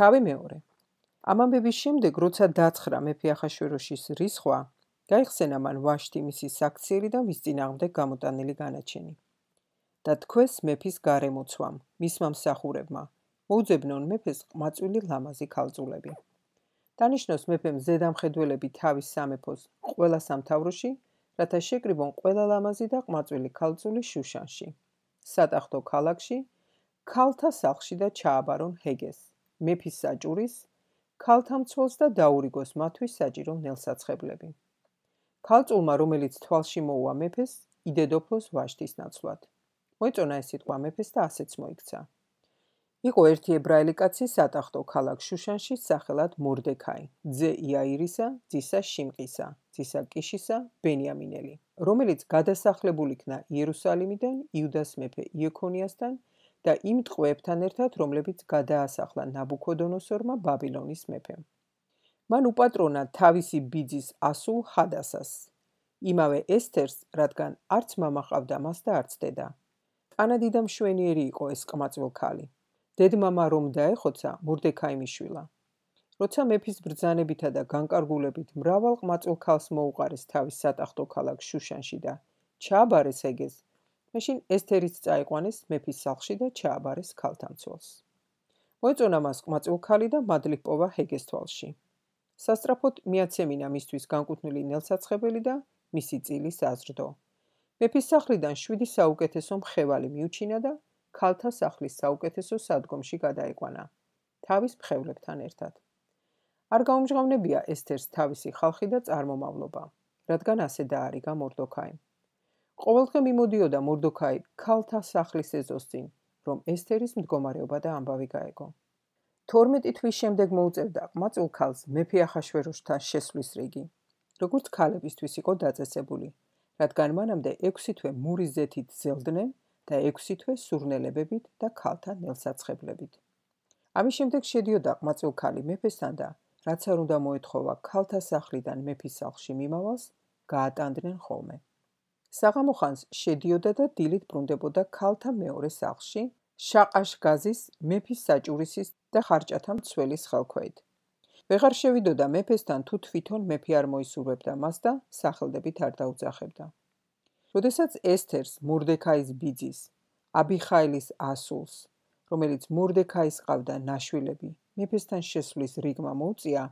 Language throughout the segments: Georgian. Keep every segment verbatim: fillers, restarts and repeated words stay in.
თავი მეორე. ამ ამბების შემდეგ, როცა დაცხრა მეფე ახაშვეროშის რისხვა, გაიხსენა მან ვაშტი მისი საქციელი და მის წინააღმდეგ გამოტანილი განაჩენი. და თქვეს მეფის გარემოცვამ, მისმა მსახურებმა, მოუძებნონ მეფეს ყმაწვილი ლამაზი ქალწულები. დანიშნოს მეფემ ზედამხედველები თავის სამეფოს ყველა სამთავროში, რათა შეკრიბონ ყველა ლამაზი და ყმაწვილი ქალწული შუშანში, სატახტო ქალაქში, ქალთა სახლში და ჩააბარონ ჰეგეს, მეფის საჭურის, ქალთა მცველს და დაურიგოს მათთვის საჭირო ნელსაცხებლები. ქალწულმა, რომელიც თვალში მოუვა მეფეს, იდედოფლოს ვაშტის ნაცვლად. მოეწონა ეს სიტყვა მეფეს და ასეც მოიქცა. იყო ერთი ებრაელი კაცი სატახტო ქალაქ შუშანში სახელად მორდექაი, ძე იაირისა, ძისა შიმყისა, ძისა კიშისა, ბენიამინელი, რომელიც გადასახლებული იქნა იერუსალიმიდან იუდას მეფე იექონიასთან და იმ ტყვეებთან ერთად, რომლებიც გადაასახლა ნაბუქოდონოსორმა ბაბილონის მეფემ. მან უპატრონა თავისი ბიძის ასულ ჰადასას, იმავე ესთერს, რადგან არც მამა ჰყავდა მას და არც დედა. ტანადი და მშვენიერი იყო ეს ყმაწვილ ქალი. დედმამა რომ დაეხოცა, მორდექაი მიშვილა. როცა მეფის ბრძანებითა და განკარგულებით მრავალ ყმაწვილ ქალს მოუყარეს თავის სატახტო ქალაქ შუშანში და ჩააბარეს ჰეგეს, მაშინ ესთერიც წაიყვანეს მეფის სახლში და ჩააბარეს ქალთამცველს. მოეწონა მას ყმაწვილ ქალი და მადლით პოვა ჰეგეს თვალში. სასწრაფოდ მიაცემინა მისთვის განკუთვნილი ნელსაცხებელი და მისი წილი საზრდო. მეფის სახლიდან შვიდი საუკეთესო მხევალი მიუჩინა და ქალთა სახლის საუკეთესო სადგომში გადაიყვანა, თავის მხევლებთან ერთად. არ გაუმჟღავნებია ესთერს თავისი ხალხი და წარმომავლობა, რადგან ასე დაარიგა მორდოქაიმ. ყოველდღე მიმოდიოდა მორდოქაი ქალთა სახლის ეზოსწინ, რომ ესთერის მდგომარეობა და ამბავი გაეგო. თორმეტი თვის შემდეგ მოუწევდა ყმაწვილ ქალს მეფე ახაშვეროშთან შესვლის რიგი, როგორც ქალებისთვის იყო დაწესებული, რადგან მანამდე ექვსი თვე მურის ზეთით ზელდნენ და ექვსი თვე სურნელებებით და ქალთა ნელსაცხებლებით. ამის შემდეგ შედიოდა ყმაწვილ ქალი მეფესთან და რაც არ უნდა მოეთხოვა ქალთა სახლიდან მეფის სახლში მიმავალს, გაატანდნენ ხოლმე. საღამო ხანს შედიოდა და დილით ბრუნდებოდა ქალთა მეორე სახლში, შაყაშგაზის, მეფის საჭურისის და ხარჭათა მცველის ხელქვეით. ვეღარ შევიდოდა მეფესთან, თუ თვითონ მეფე არ მოისურვებდა მას და სახელდებით არ დაუძახებდა. როდესაც ესთერს, მორდექაის ბიძის, აბიხაილის ასულს, რომელიც მორდექაის ყავდა ნაშვილები, მეფესთან შესვლის რიგმა მოუწია,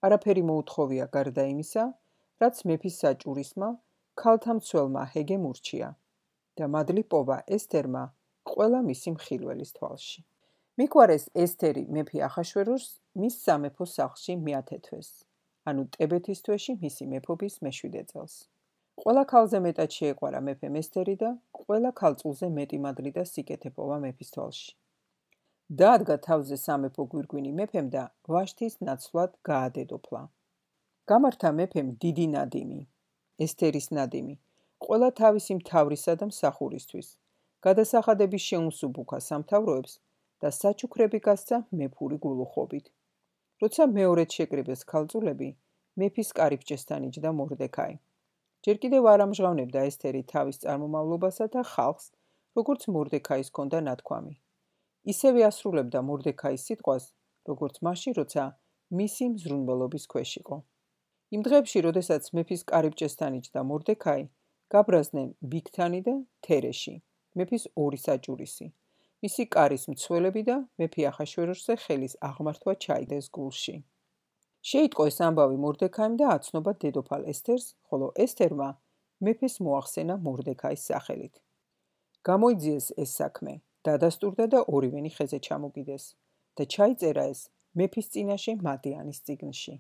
არაფერი მოუთხოვია გარდა იმისა, რაც მეფის საჭურისმა, ქალთა მცველმა ჰეგემ ურჩია და მადლი პოვა ესთერმა ყველა მისი მხილველის თვალში. მიგვარეს ესთერი მეფე ახაშვეროშს მის სამეფო სახლში მეათე თვეს, ანუ ტებეთის თვეში მისი მეფობის მეშვიდე წელს. ყველა ქალზე მეტად შეეყვარა მეფემ ესთერი და ყველა ქალწულზე მეტი მადლი და სიკეთე პოვა მეფის თვალში. დაადგა თავზე სამეფო გვირგვინი მეფემ და ვაშტის ნაცვლად გაადედოფლა. გამართა მეფემ დიდი ნადიმი, ესთერის ნადიმი, ყველა თავისი მთავრისა და მსახურისთვის, გადასახადების შეუმსუბუქა სამთავროებს და საჩუქრები გასცა მეფური გულუხობით. როცა მეორედ შეკრიბეს ქალწულები, მეფის კარიბჭესთან იჯდა მორდექაი. ჯერ კიდევ არ ამჟღავნებდა ესთერი თავის წარმომავლობასა და ხალხს, როგორც მორდექაის ჰქონდა ნათქვამი. ისევე ასრულებდა მორდექაის სიტყვას, როგორც მაშინ, როცა მისი მზრუნველობის ქვეშ იყო. იმ დღეებში, როდესაც მეფის კარიბჭესთან იჯდა მორდექაი, გაბრაზდნენ ბიგთანი და თერეში, მეფის ორი საჭურისი, მისი კარის მცველები და მეფე ახაშვეროშზე ხელის აღმართვა ჩაიდეს გულში. შეიტყო ეს ამბავი მორდექაიმ და აცნობა დედოფალ ესთერს, ხოლო ესთერმა მეფეს მოახსენა მორდექაის სახელით. გამოიძიეს ეს საქმე, დადასტურდა და ორივენი ხეზე ჩამოგიდეს და ჩაიწერა ეს მეფის წინაშე მადიანის წიგნში.